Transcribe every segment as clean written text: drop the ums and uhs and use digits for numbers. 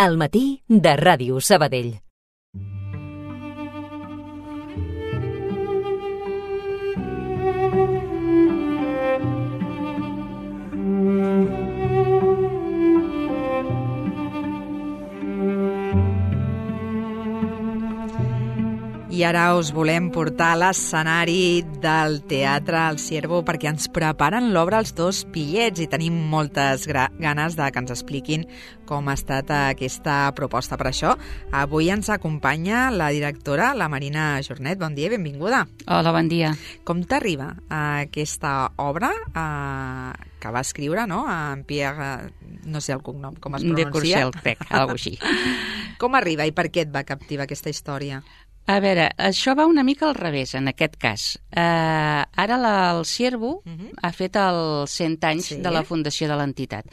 Al matí de Ràdio Sabadell. I ara us volem portar a l'escenari del Teatre El Ciervo perquè ens preparen l'obra Els dos pillets i tenim moltes ganes de que ens expliquin com ha estat aquesta proposta. Per això, avui ens acompanya la directora, la Marina Jornet. Bon dia i benvinguda. Hola, bon dia. Com t'arriba aquesta obra que va escriure, no?, en Pierre, no sé el cognom, com es pronuncia? De Courcelles, crec, alguna cosa així. Com arriba i per què et va captivar aquesta història? A veure, això va una mica al revés, en aquest cas. Ara el Ciervo ha fet els 100 anys de la fundació de l'entitat.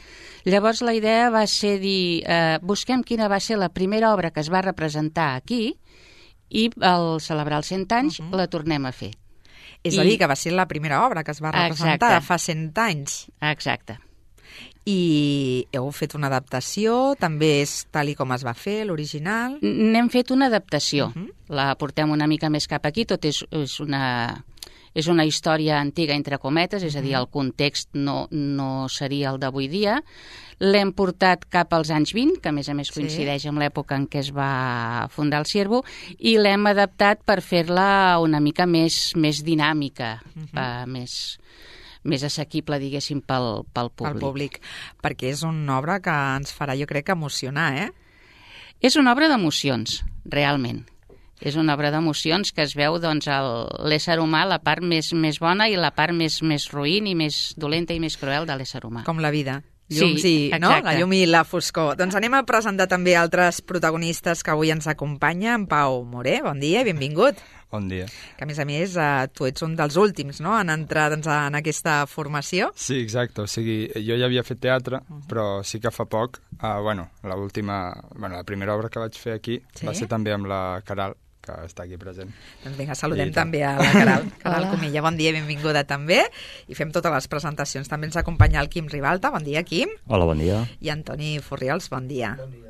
Llavors la idea va ser dir, busquem quina va ser la primera obra que es va representar aquí i al celebrar els 100 anys la tornem a fer. És a dir, que va ser la primera obra que es va representar fa 100 anys. Exacte. I heu fet una adaptació, també és tal i com es va fer, l'original? N'hem fet una adaptació, la portem una mica més cap aquí, tot és una història antiga, entre cometes, és a dir, el context no seria el d'avui dia. L'hem portat cap als anys 20, que a més coincideix amb l'època en què es va fundar el Ciervo, i l'hem adaptat per fer-la una mica més dinàmica, més assequible, diguéssim, pel públic. Pel públic, perquè és una obra que ens farà, jo crec, emocionar, eh? És una obra d'emocions, realment. És una obra d'emocions que es veu, doncs, l'ésser humà, la part més bona i la part més roïn i més dolenta i més cruel de l'ésser humà. Com la vida. Llums no? La llum i la foscor. Doncs anem a presentar també altres protagonistes que avui ens acompanya. En Pau Moré, bon dia i benvingut. Bon dia. Que a més, tu ets un dels últims, no?, en entrar en aquesta formació. Sí, exacte. O sigui, jo ja havia fet teatre, però sí que fa poc, la primera obra que vaig fer aquí va ser també amb la Caral, que està aquí present. Doncs vinga, saludem també a la Caral. Caral Comilla, bon dia i benvinguda també. I fem totes les presentacions. També ens acompanya el Quim Ribalta. Bon dia, Quim. Hola, bon dia. I Antoni Furriols, bon dia. Bon dia.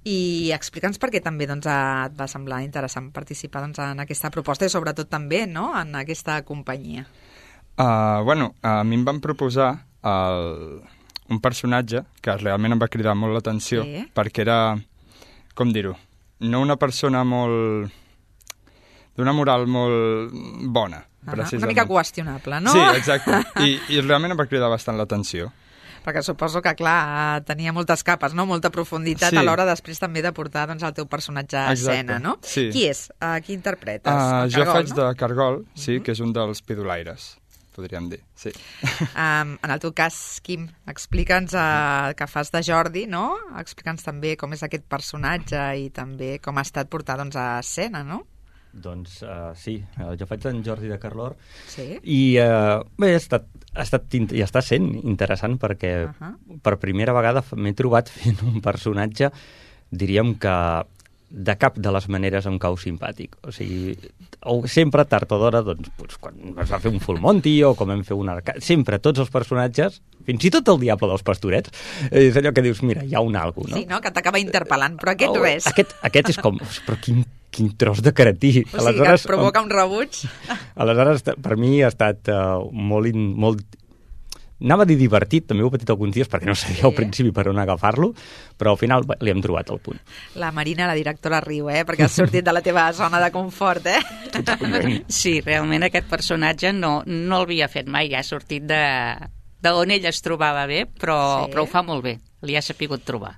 I explica'ns per què també et va semblar interessant participar en aquesta proposta i sobretot també, no?, en aquesta companyia. A mi em van proposar un personatge que realment em va cridar molt l'atenció perquè era, com dir-ho, no una persona d'una moral molt bona, precisament. Una mica qüestionable, no? Sí, exacte. I realment em va cridar bastant l'atenció. Perquè suposo que, clar, tenia moltes capes, no?, molta profunditat a l'hora després també de portar el teu personatge a escena, no? Sí. Qui és? Qui interpretes? Jo faig de Cargol, sí, que és un dels pidolaires, podríem dir, sí. En el teu cas, Quim, explica'ns que fas de Jordi, no? Explica'ns també com és aquest personatge i també com ha estat portar a escena, no? Doncs sí, jo faig en Jordi de Carlor i bé, ha estat i està sent interessant perquè per primera vegada m'he trobat fent un personatge, diríem que de cap de les maneres em cau simpàtic. O sigui, sempre tard o d'hora, doncs, quan es va fer un Full Monty o com vam fer un Arcade, sempre tots els personatges, fins i tot el Diable dels Pastorets, és allò que dius, mira, hi ha un algo, no? Sí, no?, que t'acaba interpel·lant, però aquest res. Aquest és com, però quin tros de caretí. O sigui, que et provoca un rebuig. Aleshores, per mi ha estat molt... Anava a dir divertit, també ho he patit alguns dies perquè no sabia al principi per on agafar-lo, però al final li hem trobat el punt. La Marina, la directora, riu, perquè has sortit de la teva zona de confort, Sí, realment aquest personatge no l'havia fet mai, ha sortit d'on ell es trobava bé, però ho fa molt bé, li ha sapigut trobar.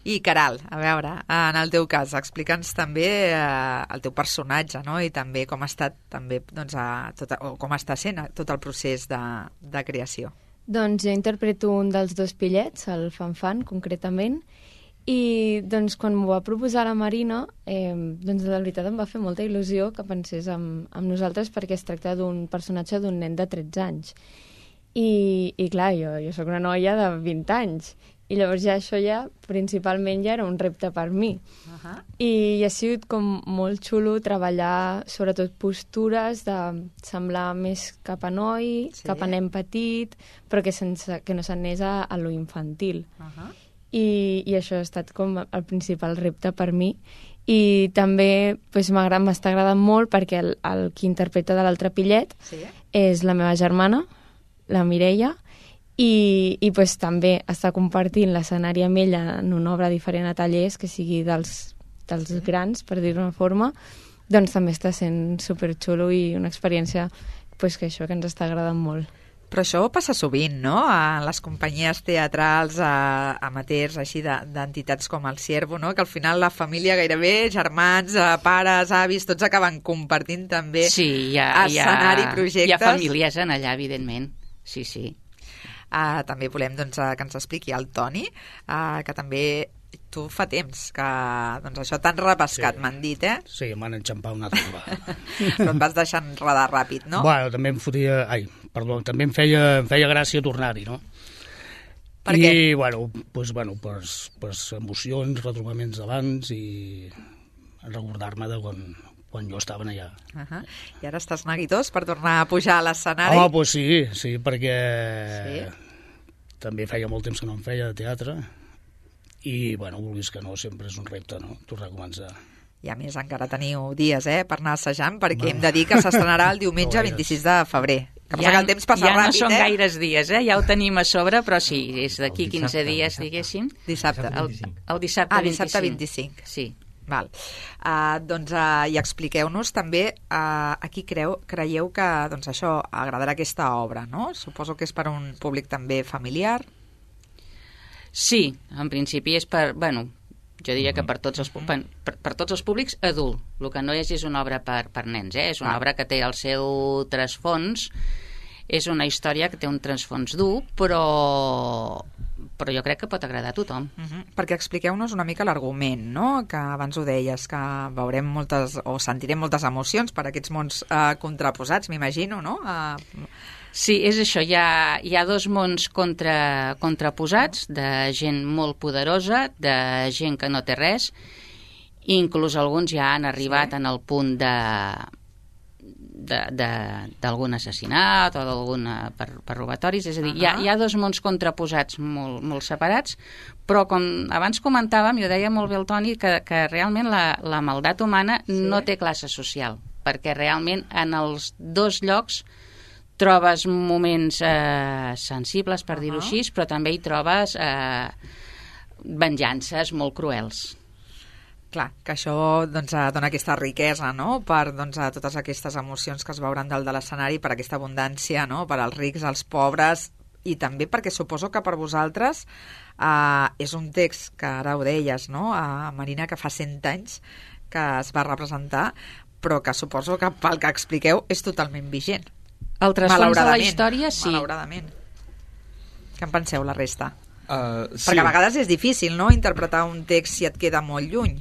I Caral, a veure, en el teu cas, explica'ns també el teu personatge, no?, i també com ha estat també, com està sent tot el procés de creació. Doncs jo interpreto un dels dos pillets, el Fanfan, concretament, i doncs quan m'ho va proposar la Marina, doncs la veritat em va fer molta il·lusió que pensés amb nosaltres perquè es tracta d'un personatge d'un nen de 13 anys. I clar, jo soc una noia de 20 anys, i llavors això principalment ja era un repte per mi. I ha sigut com molt xulo treballar sobretot postures de semblar més cap a noi, cap a nen petit, però que no s'anés a lo infantil. i això ha estat com el principal repte per mi. I també m'està agradant molt perquè el qui interpreta de l'altre pillet és la meva germana, la Mireia, i també està compartint l'escenari amb ella en una obra diferent a tallers, que sigui dels grans, per dir-ho d'una forma, doncs també està sent superxulo i una experiència que això que ens està agradant molt. Però això passa sovint, no?, a les companyies teatrals amateurs, així, d'entitats com el Ciervo, no?, que al final la família gairebé, germans, pares, avis, tots acaben compartint també escenari, projectes. Hi ha famílies en allà, evidentment, sí. També volem que ens expliqui el Toni, que també tu fa temps que això t'han repescat, m'han dit, eh? Sí, m'han enxampat una altra vegada. Però et vas deixant rodar ràpid, no? Bueno, també també em feia gràcia tornar-hi, no? Per què? I, per emocions, retrobaments d'abans i recordar-me de quan jo estava allà. I ara estàs neguitós per tornar a pujar a l'escenari? Home, doncs sí, perquè també feia molt temps que no em feia de teatre i, vulguis que no, sempre és un repte, no?, tornar a començar. I a més encara teniu dies, per anar assajant, perquè hem de dir que s'estrenarà el diumenge 26 de febrer. Que passa que el temps passa ràpid, Ja no són gaires dies, ja ho tenim a sobre, però sí, és d'aquí 15 dies, diguéssim. Dissabte. El dissabte 25. Dissabte 25. Sí. Val. I expliqueu-nos també a qui creieu que això agradarà aquesta obra, no? Suposo que és per un públic també familiar. Sí, en principi és per, jo diria que per tots els públics adult. El que no és una obra per nens, és una obra que té el seu trasfons, és una història que té un trasfons dur, però jo crec que pot agradar a tothom. Perquè expliqueu-nos una mica l'argument, no?, que abans ho deies, que veurem sentirem moltes emocions per aquests mons contraposats, m'imagino, no? Sí, és això, hi ha dos mons contraposats, de gent molt poderosa, de gent que no té res, i inclús alguns ja han arribat en el punt d'algun assassinat o per robatoris, és a dir, hi ha dos mons contraposats molt separats, però com abans comentàvem, jo deia molt bé el Toni, que realment la maldat humana no té classe social, perquè realment en els dos llocs trobes moments sensibles, per dir-ho així, però també hi trobes venjances molt cruels. Clar, que això dona aquesta riquesa, no?, per totes aquestes emocions que es veuran dalt de l'escenari, per aquesta abundància, no?, per als rics, als pobres, i també perquè suposo que per vosaltres és un text que ara ho deies, no?, Marina, que fa 100 anys que es va representar, però que suposo que pel que expliqueu és totalment vigent. El trasfons de la història, sí. Malauradament. Què en penseu, la resta? Sí. Perquè a vegades és difícil, no?, interpretar un text si et queda molt lluny.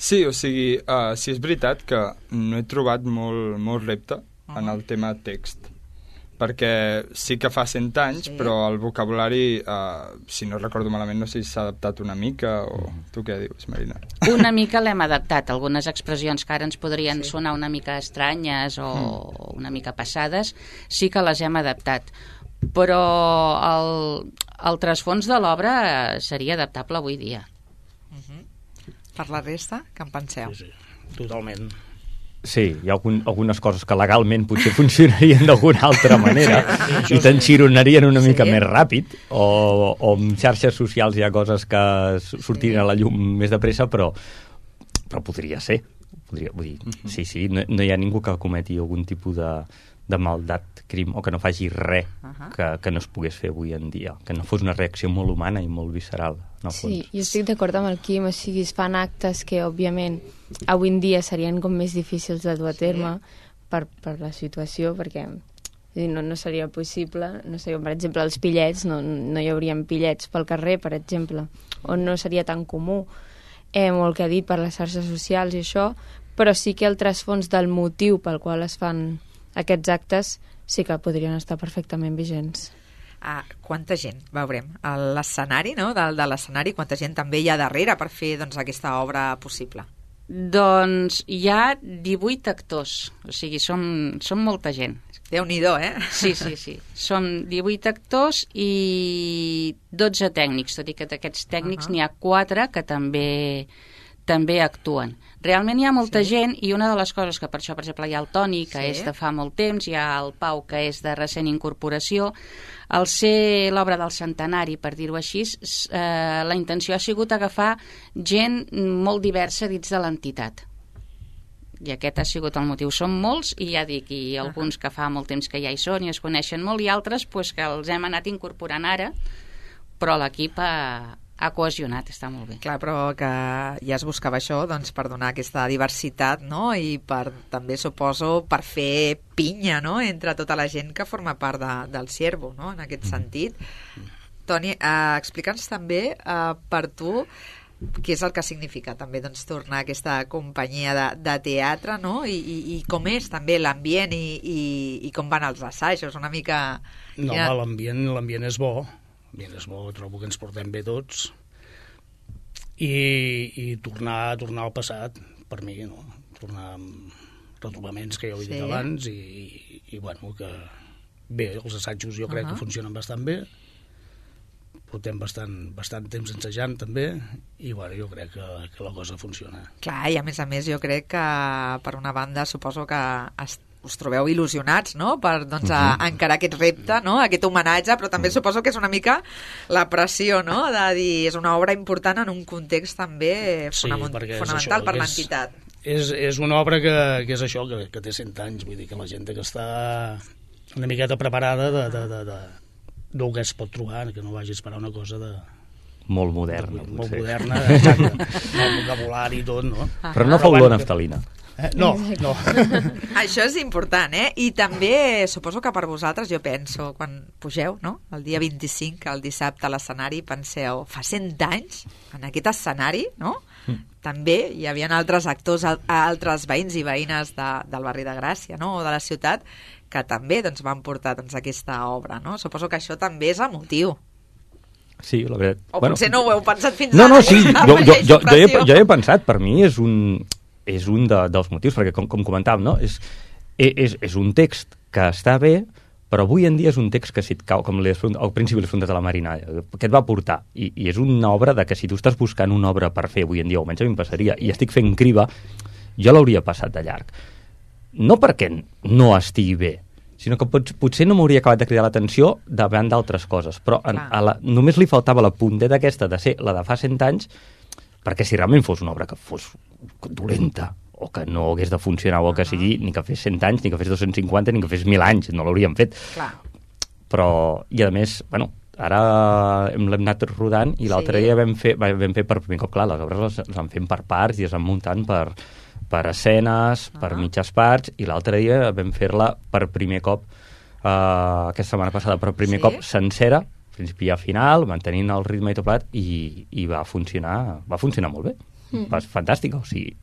Sí, o sigui, sí és veritat que no he trobat molt repte en el tema text, perquè sí que fa 100 anys, però el vocabulari, si no recordo malament, no sé si s'ha adaptat una mica, o tu què dius, Marina? Una mica l'hem adaptat. Algunes expressions que ara ens podrien sonar una mica estranyes o una mica passades, sí que les hem adaptat. Però el trasfons de l'obra seria adaptable avui dia. Per la resta, què en penseu? Sí, totalment. Sí, hi ha algunes coses que legalment potser funcionarien d'alguna altra manera i t'enxironarien una mica més ràpid, o en xarxes socials hi ha coses que sortirien a la llum més de pressa, però podria ser. Vull dir, sí, no hi ha ningú que cometi algun tipus de maldat, crim, o que no faci res que no es pogués fer avui en dia, que no fos una reacció molt humana i molt visceral. Sí, jo estic d'acord amb el Quim, o sigui, es fan actes que, òbviament, avui en dia serien com més difícils de dur a terme per la situació, perquè no seria possible, no sé, per exemple, els pillets, no hi haurien pillets pel carrer, per exemple, o no seria tan comú, o el que ha dit per les xarxes socials i això, però sí que el trasfons del motiu pel qual es fan aquests actes sí que podrien estar perfectament vigents. Quanta gent veurem a l'escenari, no?, de l'escenari, quanta gent també hi ha darrere per fer aquesta obra possible? Doncs hi ha 18 actors, o sigui, som molta gent. Déu-n'hi-do, Sí. Som 18 actors i 12 tècnics, tot i que d'aquests tècnics n'hi ha 4 que també actuen. Realment hi ha molta gent i una de les coses que per això, per exemple, hi ha el Toni, que és de fa molt temps, hi ha el Pau, que és de recent incorporació. Al ser l'obra del centenari, per dir-ho així, la intenció ha sigut agafar gent molt diversa dins de l'entitat. I aquest ha sigut el motiu. Som molts, i ja dic, i alguns que fa molt temps que ja hi són i es coneixen molt, i altres pues, que els hem anat incorporant ara, però l'equip ha cohesionat, està molt bé. Clar, però que ja es buscava això doncs, per donar aquesta diversitat, no? I per, també suposo per fer pinya, no? Entre tota la gent que forma part del Ciervo, no? En aquest sentit. Toni, explica'ns també per tu què és el que significa també doncs, tornar a aquesta companyia de teatre, no? I com és també l'ambient i com van els assajos, una mica... No, l'ambient és bo. L'ambient és bo, trobo que ens portem bé tots. I tornar al passat, per mi, no? Tornar amb retrobaments que ja ho he dit abans i bueno, que bé, els assajos jo crec que funcionen bastant bé. Portem bastant temps ensejant també i bueno, jo crec que la cosa funciona. Clar, i a més jo crec que per una banda suposo que us trobeu il·lusionats, no? Per doncs, encarar aquest repte, no? Aquest homenatge, però també suposo que és una mica la pressió, no? De dir, és una obra important en un context també fonamental per l'entitat. És una obra que és això, que té 100 anys, vull dir que la gent que està una miqueta preparada del que es pot trobar, que no vagi a esperar una cosa molt moderna. Molt moderna, exacte. El vocabulari i tot, no? Però no fa olor a naftalina. No. Això és important, I també suposo que per vosaltres, jo penso, quan pugeu, no? El dia 25, el dissabte a l'escenari, penseu, fa 100 anys, en aquest escenari, no? També hi havia altres actors, altres veïns i veïnes del barri de Gràcia, no? O de la ciutat, que també doncs, van portar doncs, aquesta obra, no? Suposo que això també és emotiu. Sí, la veritat. O potser no ho heu pensat fins ara. No, sí, jo he pensat, per mi és un dels motius, perquè com comentàvem, no? És un text que està bé, però avui en dia és un text que si et cau, com al principi les frontes de la Marina, que et va portar, i és una obra de que si tu estàs buscant una obra per fer avui en dia, o almenys a mi em passaria, i estic fent criba, jo l'hauria passat de llarg. No perquè no estigui bé, sinó que potser no m'hauria acabat de cridar l'atenció davant d'altres coses, però només li faltava la punteta aquesta de ser la de fa 100 anys, perquè si realment fos una obra que fos dolenta, o que no hagués de funcionar, o que sigui, ni que fes 100 anys, ni que fes 250, ni que fes 1.000 anys, no l'hauríem fet. Clar. Però, i a més, bueno, ara l'hem anat rodant, i l'altre dia vam fer per primer cop, clar, les obres les van fent per parts i es van muntant per escenes, per mitges parts, i l'altre dia vam fer-la per primer cop, aquesta setmana passada, per primer cop sencera, principi a final, mantenint el ritme i tot plat, i va funcionar molt bé. Va fantàstic, o sigui...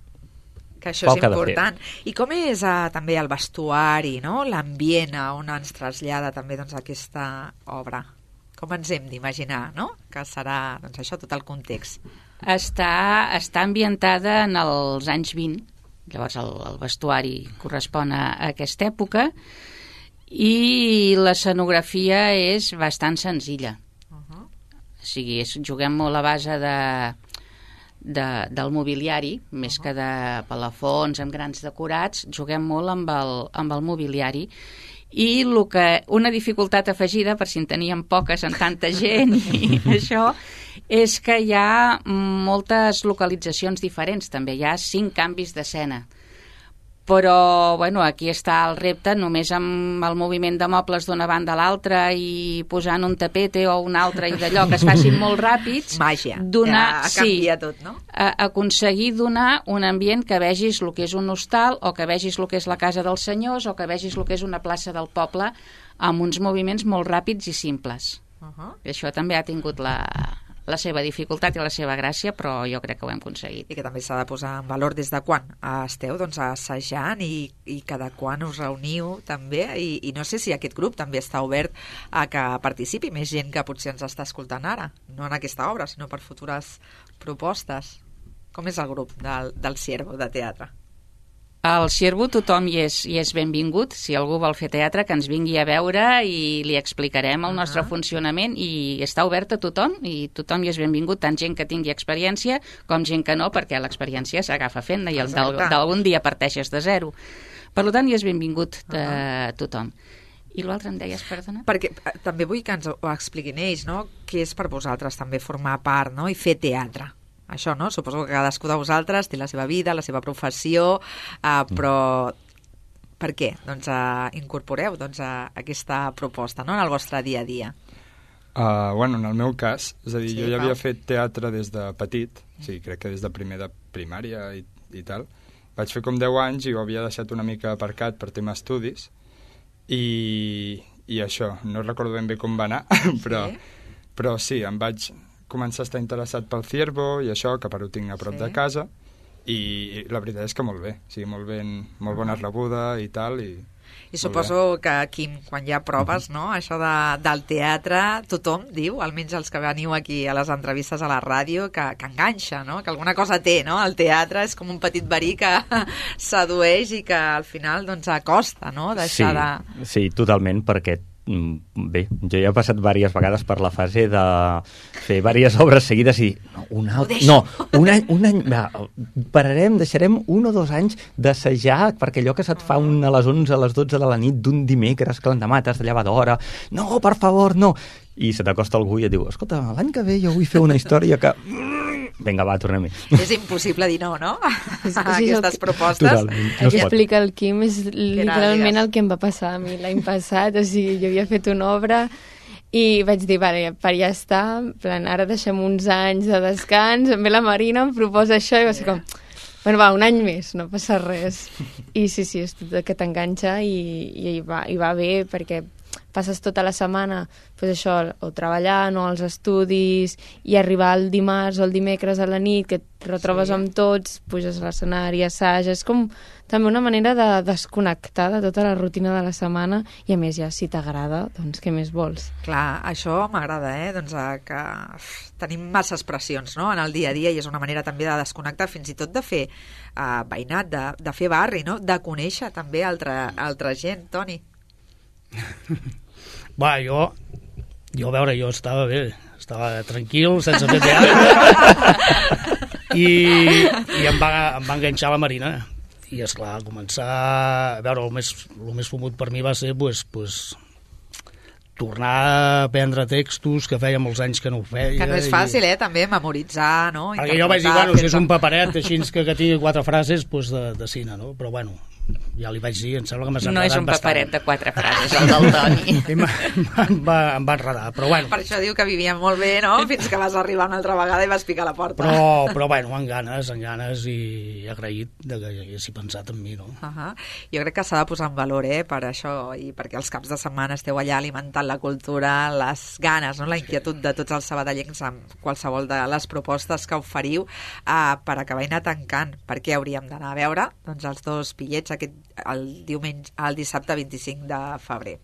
Que això és important. I com és també el vestuari, no? L'ambient on ens trasllada també doncs, aquesta obra? Com ens hem d'imaginar, no? Que serà doncs, això, tot el context. Està ambientada en els anys 20, llavors el vestuari correspon a aquesta època, i l'escenografia és bastant senzilla. O sigui, juguem molt a base del mobiliari, més que de palafons amb grans decorats, juguem molt amb el mobiliari. I una dificultat afegida, per si en teníem poques en tanta gent i això, és que hi ha moltes localitzacions diferents també, hi ha 5 canvis d'escena. Però, bueno, aquí està el repte, només amb el moviment de mobles d'una banda a l'altra i posant un tapete o un altre i d'allò que es facin molt ràpids. Màgia, canvia tot, no? Aconseguir donar un ambient que vegis el que és un hostal o que vegis el que és la casa dels senyors o que vegis el que és una plaça del poble amb uns moviments molt ràpids i simples. I això també ha tingut la seva dificultat i la seva gràcia, però jo crec que ho hem aconseguit. I que també s'ha de posar en valor des de quan esteu doncs, assajant i cada quan us reuniu també, i no sé si aquest grup també està obert a que participi més gent que potser ens està escoltant ara, no en aquesta obra, sinó per futures propostes. Com és el grup del Ciervo de teatre? Al Ciervo tothom hi és benvingut. Si algú vol fer teatre, que ens vingui a veure i li explicarem el nostre funcionament, i està obert a tothom, i tothom hi és benvingut, tant gent que tingui experiència com gent que no, perquè l'experiència s'agafa fent i d'algun dia parteixes de zero. Per tant, hi és benvingut tothom. I l'altre em deies, perdona? Perquè també vull que ens ho expliquin ells, no? Què és per vosaltres també formar part, no? I fer teatre. Això, no? Suposo que cadascú de vosaltres té la seva vida, la seva professió, però per què? Doncs incorporeu aquesta proposta, no?, en el vostre dia a dia. Bueno, en el meu cas, és a dir, jo ja havia fet teatre des de petit, sí, crec que des de primer de primària i tal. Vaig fer com 10 anys i ho havia deixat una mica aparcat per tema estudis, i això, no recordo ben bé com va anar, però sí, em vaig començar a estar interessat pel Ciervo i això, que per ho tinc a prop de casa, i la veritat és que molt bé, o sigui, molt bona rebuda i tal, I suposo que, Quim, quan hi ha proves, no?, això del teatre, tothom diu, almenys els que veniu aquí a les entrevistes a la ràdio, que enganxa, no?, que alguna cosa té, no?, el teatre és com un petit verí que sedueix i que al final, doncs, acosta, no?, deixar de... Sí, totalment, perquè bé, jo ja he passat diverses vegades per la fase de fer diverses obres seguides i un any pararem, deixarem 1 o 2 anys d'assajar, perquè allò que se't fa a les 11, a les 12 de la nit d'un dimecres que l'endemà t'has de llevar d'hora, no, per favor, no, i se t'acosta algú i et diu, escolta, l'any que ve jo vull fer una història que... Vinga, va, tornem-hi. És impossible dir no? Aquestes propostes. Totalment, no el que explica el Quim és literalment el que em va passar a mi l'any passat. O sigui, jo havia fet una obra i vaig dir, vale, per ja està, plan, ara deixem uns anys de descans, em ve la Marina, em proposa això, i va ser com, bueno, va, un any més, no passa res. I sí, és tot que t'enganxa i va bé, perquè passes tota la setmana, doncs això, o treballant, o als estudis, i arribar el dimarts o el dimecres a la nit, que et retrobes amb tots, puges a l'escenari, assages, és com també una manera de desconnectar de tota la rutina de la setmana, i a més ja, si t'agrada, doncs què més vols? Clar, això m'agrada, doncs que tenim masses pressions, no?, en el dia a dia, i és una manera també de desconnectar, fins i tot de fer veïnat, de fer barri, no?, de conèixer també altra gent, Toni. Va, jo a veure, jo estava bé, estava tranquil, sense fer teatre, i em va enganxar la Marina, i esclar, començar a veure, el més fumut per mi va ser tornar a aprendre textos que feia molts anys que no ho feia. Que no és fàcil, també, memoritzar, no? Perquè jo vaig dir, bueno, si és un paperet així que tingui 4 frases, doncs de cine, no? Però bueno, ja li vaig dir, em sembla que m'has enredat bastant. No és un paperet de 4 frases, el del Toni. Em va enredar, però bueno. Per això diu que vivia molt bé, no?, fins que vas arribar una altra vegada i vas picar la porta. Però bueno, amb ganes i agraït que haguessi pensat en mi, no? Jo crec que s'ha de posar en valor, per això, i perquè els caps de setmana esteu allà alimentant la cultura, les ganes, no?, la inquietud de tots els sabadellencs amb qualsevol de les propostes que oferiu per acabar anar tancant. Per què hauríem d'anar a veure? Doncs els 2 bitllets el dissabte 25 de febrer.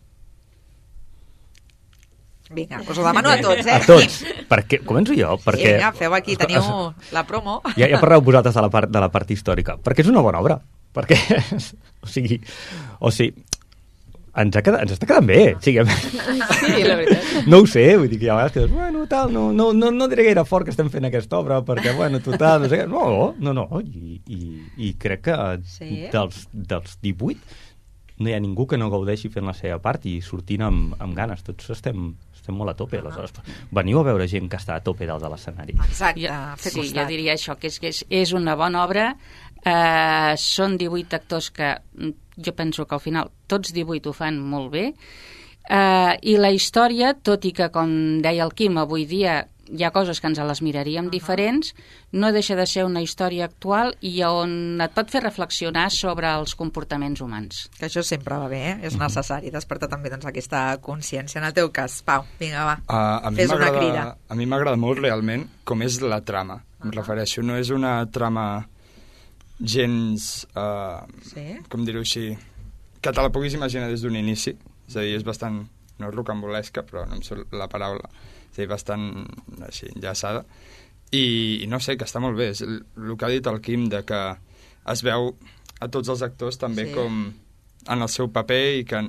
Vinga, us ho demano a tots, A tots. Perquè, començo jo? Perquè... Vinga, feu aquí, teniu la promo. Ja parleu vosaltres de la part històrica. Perquè és una bona obra. Perquè, o sigui, ens està quedant bé. Sí, la veritat. No ho sé, vull dir que hi ha vegades que dius, bueno, tal, no diré gaire fort que estem fent aquesta obra, perquè, bueno, total, no sé què. No, i crec que dels 18 no hi ha ningú que no gaudeixi fent la seva part i sortint amb ganes. Tots estem molt a tope, aleshores. Veniu a veure gent que està a tope dalt de l'escenari. Exacte, fer costat. Sí, jo diria això, que és una bona obra. Són 18 actors que jo penso que al final tots 18 ho fan molt bé, i la història, tot i que, com deia el Quim, avui dia hi ha coses que ens les miraríem diferents, no deixa de ser una història actual i on et pot fer reflexionar sobre els comportaments humans. Que això sempre va bé, és necessari despertar també aquesta consciència. En el teu cas, Pau, vinga, va, fes una crida. A mi m'agrada molt realment com és la trama, em refereixo, no és una trama gens, com dir-ho així, que te la puguis imaginar des d'un inici, és a dir, és bastant, no és rocambolesca, però no em surt la paraula, és a dir, bastant així, enllaçada, I no sé, que està molt bé. És el que ha dit el Quim, de que es veu a tots els actors també com en el seu paper i que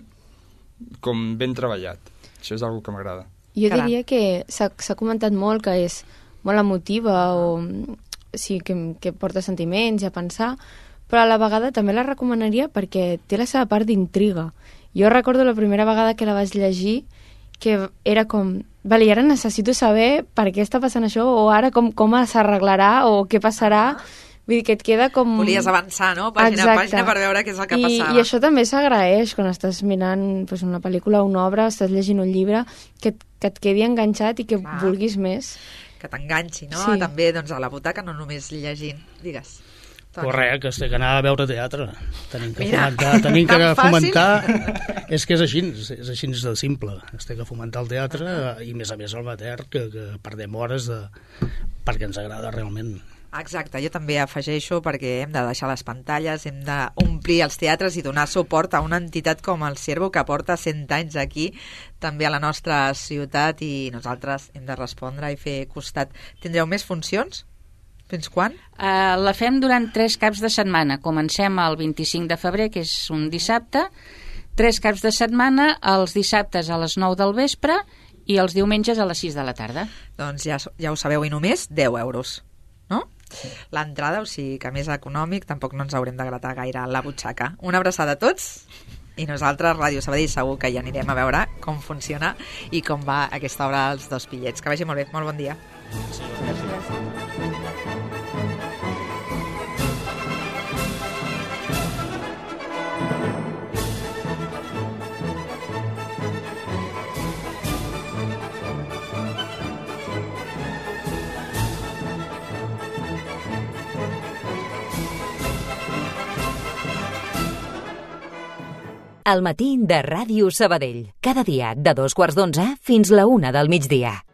com ben treballat. Això és una que m'agrada. Jo diria que s'ha comentat molt que és molt emotiva o sí, que porta sentiments i a pensar, però a la vegada també la recomanaria perquè té la seva part d'intriga. Jo recordo la primera vegada que la vaig llegir que era com, vale, ara necessito saber per què està passant això o ara com s'arreglarà o què passarà. Vull dir que et queda com... Volies avançar, no? Pàgina a pàgina per veure què és el que passava. I això també s'agraeix quan estàs mirant una pel·lícula o una obra, estàs llegint un llibre, que et quedi enganxat i que vulguis més. Que t'enganxi, no? Sí. També a la butaca, no només llegint. Digues. Correcte, que has d'anar a veure teatre. Tenim que fomentar... És que és així de simple. Has de fomentar el teatre i, més a més, el mater, que perdem hores perquè ens agrada realment. Exacte, jo també afegeixo perquè hem de deixar les pantalles, hem d'omplir els teatres i donar suport a una entitat com el Ciervo, que porta 100 anys aquí, també a la nostra ciutat, i nosaltres hem de respondre i fer costat. Tindreu més funcions? Fins quan? La fem durant 3 caps de setmana. Comencem el 25 de febrer, que és un dissabte, 3 caps de setmana, els dissabtes a les 9 del vespre i els diumenges a les 6 de la tarda. Doncs ja ho sabeu, i només 10 euros, no? L'entrada, o sigui que més econòmic, tampoc no ens haurem de gratar gaire la butxaca. Una abraçada a tots, i nosaltres, Ràdio Sabadell, segur que ja anirem a veure com funciona i com va aquesta obra Els dos pillets. Que vagi molt bé, molt bon dia. Al matí de Ràdio Sabadell. Cada dia de 2:15 fins la 1 del migdia.